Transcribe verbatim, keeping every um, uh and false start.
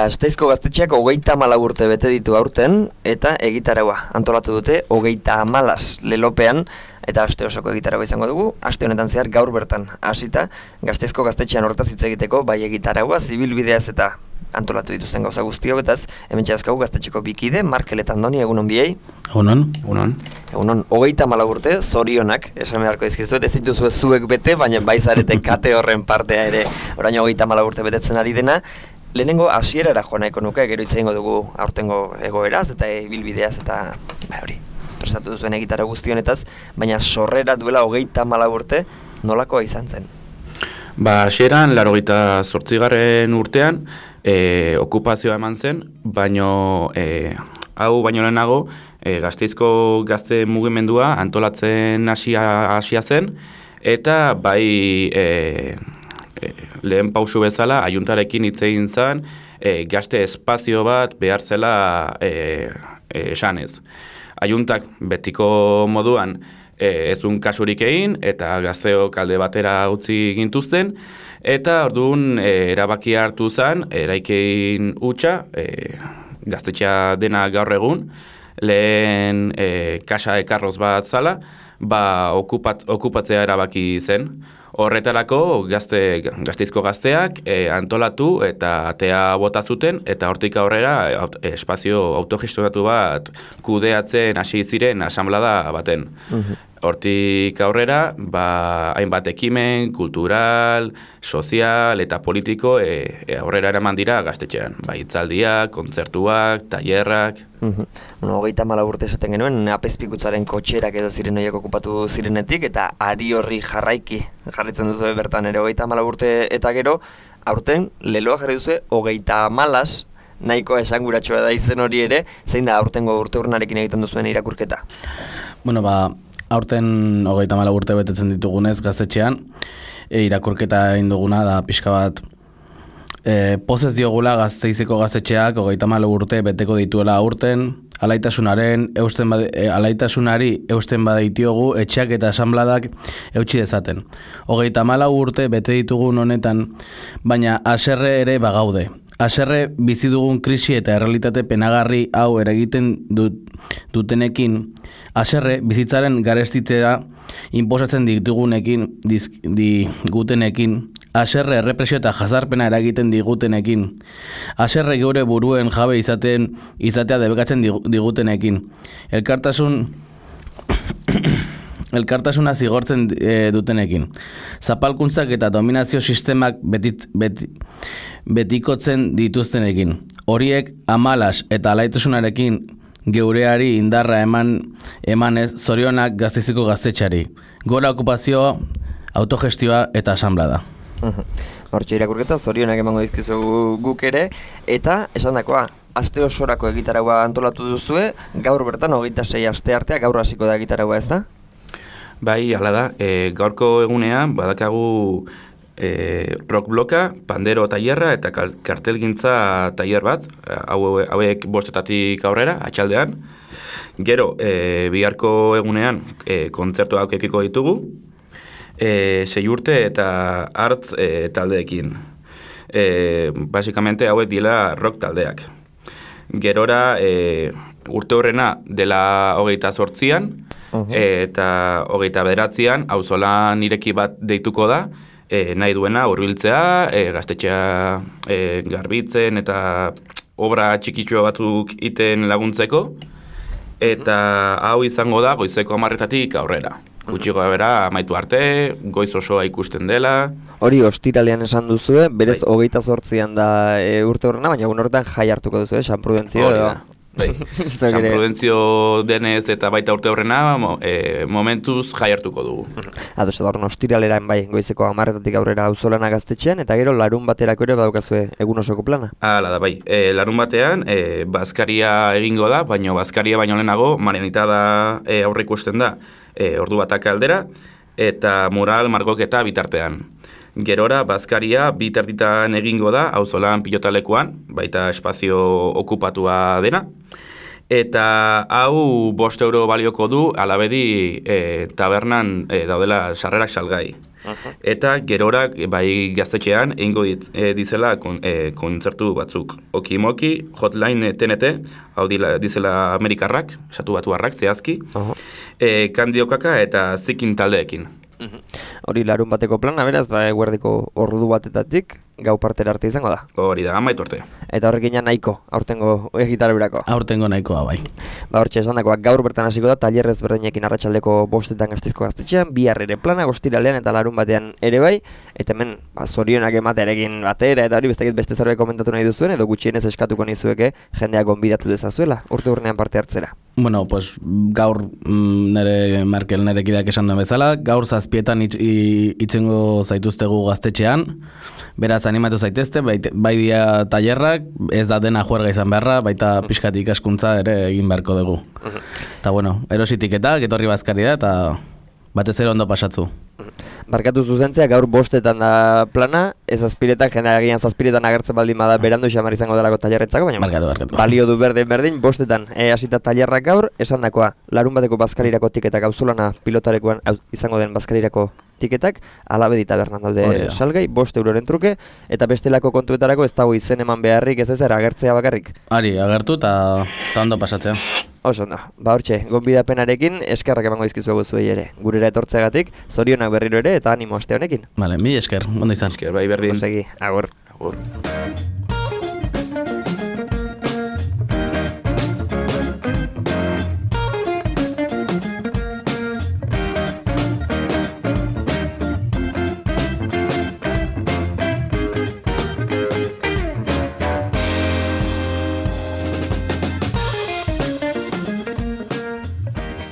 Gasteizko gaztetxeak hogeita hamalau urte bete ditu aurten eta egitaraua antolatu dute hogeita hamalas lelopean eta aste osoko egitaraua izango dugu. Aste honetan zehar gaur bertan hasita Gasteizko gaztetxean hortaz hitz egiteko bai egitaraua, zibilbideaz eta antolatu dituzten gauza guztio, betaz hemen txaskau gaztetxeko bikide, Markel eta Andoni, egunon biei. Egunon, egunon. Egunon, hogeita hamalau urte, zorionak, esan beharko dizkizuet, ez dituzue zuek bete, baina baizarete kate horren partea ere, orain hogeita hamalau urte betetzen ari dena. Lehenengo hasierara joan nahiko nuke, gero hitz egingo dugu aurtengo egoeraz eta ibilbideaz eta ba hori, prestatu duzuen egitara guztionetaz, baina sorrera duela hogeita hamalau urte nolakoa izan zen? Ba, hasieran laurogeita zortzigarren urtean e, okupazioa eman zen, baino e, hau baino lehenago e, Gasteizko gazte mugimendua antolatzen hasia hasia zen eta bai e, e, lehen pausu bezala ajuntarekin hitz egin zen e, gazte espazio bat behar zela e, e, esanez. Ajuntak betiko moduan E, ezun kasurik egin eta gazteok alde batera utzi gintuzten eta orduan e, erabakia hartu zen eraikein hutsa e, gaztetxea dena gaur egun lehen e, kasa ekarroz bat zala ba okupat, okupatzea erabaki zen. Horretarako gazte, Gasteizko gazteak e, antolatu eta atea bota zuten eta hortik aurrera aut, espazio autogestionatu bat kudeatzen hasi ziren asanblada baten. Uh-huh. Hortik aurrera, ba, hainbat ekimen, kultural, sozial eta politiko e, e, aurrera eraman dira gaztetxean. Ba, hitzaldiak, kontzertuak, tailerrak. Uh-huh. Bueno, hogeita hamalau urte esaten genuen, apezpikutzaren kotxerak edo ziren horiek okupatu zirenetik, eta ari horri jarraiki jarritzen duzu bertan ere hogeita hamalau urte eta gero, aurten leloa jarri duzu hogeita hamalas, nahiko esanguratxoa da izen hori ere, zein da aurtengo urte urnarekin egiten duzuen irakurketa? Bueno, ba, aurten hogeita hamalau urte betetzen ditugunez gaztetxean, e, irakurketa egin duguna da pixka bat e, pozez diogula Gasteizeko gaztetxeak hogeita hamalau urte beteko dituela aurten, alaitasunaren eusten bade, e, alaitasunari eusten badaitiogu etxeak eta asanbladak eutsi dezaten. Hogeita hamalau urte bete ditugun honetan, baina haserre ere bagaude. Haserre bizi dugun krisi eta errealitate penagarri hau eragiten dut, dutenekin, haserre bizitzaren garestitzea inposatzen ditugunekin, digutenekin, haserre errepresio eta jazarpena eragiten digutenekin, haserre geure buruen jabe izaten izatea debekatzen digutenekin, elkartasun elkartasuna zigortzen e, dutenekin. Zapalkuntzak eta dominazio sistemak betit, beti, betikotzen dituztenekin. Horiek amalas eta alaitasunarekin geureari indarra eman emanez zorionak Gasteizeko gaztetxari. Gora okupazioa, autogestioa eta asanblada. Hortxe irakurketa, zorionak emango dizkizu guk ere, eta esandakoa, aste osorako egitaraua antolatu duzue, gaur bertan hogeita sei aste artea, gaur hasiko da egitaraua, ez da? Bai, hala da, e, gaurko egunean badakagu e, rock bloka, pandero tailerra eta kartelgintza tailer bat, hau, hauek bostetatik aurrera, atxaldean. Gero, e, biharko egunean e, kontzertu haukekiko ditugu, e, sei urte eta hartz e, taldeekin. E, basikamente hauek dira rock taldeak. Gerora, e, urte horrena dela hogeita zortzian, Uh-huh. eta hogeita bederatzian auzolan ireki bat deituko da, e, nahi duena hurbiltzea, e, gaztetxea e, garbitzen eta obra txikitxo batzuk iten laguntzeko, eta hau izango da goizeko hamarretatik aurrera. Gutxi gora amaitu arte, goiz osoa ikusten dela. Hori ostiralean esan duzue, berez bai. Hogeita zortzian da e, urte horrena, baina egun horretan jai hartuko duzue, San Prudentzio edo? Bai, San Prudentzio denez eta baita urte horrena mo, e, momentuz jai hartuko dugu. Ados, edo horren ostiraleran bai, goizeko hamarretatik aurrera auzolana gaztetxean, eta gero larun baterako ere badaukazue egun osoko plana? Hala da, bai. E, larun batean, e, bazkaria egingo da, baino bazkaria baino lehenago, marianitada e, aurre ikusten da, e, ordu batak aldera, eta mural margoketa bitartean. Gerora, bazkaria bi terditan egingo da, auzolan pilotalekuan, baita espazio okupatua dena. Eta hau bost euro balioko du, alabedi e, tabernan e, daudela sarrerak salgai. Eta gerorak bai gaztetxean egingo dit, e, dizela kon, e, kontzertu batzuk. Okimoki, Hotline T N T, hau dila, dizela Amerikarrak, esatu batuarrak, zehazki, uh-huh. e, Kandiokaka eta Zikin taldeekin. Hori larun bateko plana, beraz, ba, eguerdiko ordu batetatik, gau partera arte izango da. Hori da, amaitu arte. Eta horrekin nahiko, aurtengo egitarurako. Aurtengo nahikoa, bai. Ba, hortxe esan dakoak, gaur bertan hasiko da, talerrez berdinekin arratsaldeko bostetan Gasteizko gaztetxean, bihar ere plana, ostiralean eta larun batean ere bai, eta hemen, ba, zorionak ematearekin batera, eta hori bestekit beste zerbait komentatu nahi duzuen, edo gutxienez eskatuko nizueke jendeak gonbidatu dezazuela, urte urnean parte hartzera. Bueno, pues gaur mm, nere Markel nere kideak esan duen bezala, gaur zazpietan itz, itzengo zaituztegu gaztetxean, beraz animatu zaitezte, bai, bai dia tailerrak, ez da dena juerga izan beharra, baita pixkat ikaskuntza ere egin beharko dugu. Eta bueno, erositik eta, getorri bazkari da, eta batez ere ondo pasatzu. Barkatu zuzentzea, gaur bostetan da plana, ez azpiretan, jendea agian zazpiretan agertzen baldin bada berandu xamar izango delako tailerretzako, baina barkatu, barkatu. balio du berdin berdin, bostetan e, hasita tailerrak gaur, esan dakoa, larun bateko bazkarirako tiketak auzolana pilotarekoan izango den bazkarirako tiketak, alabe tabernan daude salgai, bost euroren truke, eta bestelako kontuetarako ez dago izen eman beharrik ez ezer agertzea bakarrik. Ari, agertu eta ondo pasatzea. Oso ondo, ba hortxe, gonbidapenarekin eskerrak emango dizkizuegu zuei ere. Gurera etortzeagatik, zorionak berriro ere eta animo aste honekin. Vale, mi esker, ondo izan. Esker, bai berdin. Osegi, agur. Agur.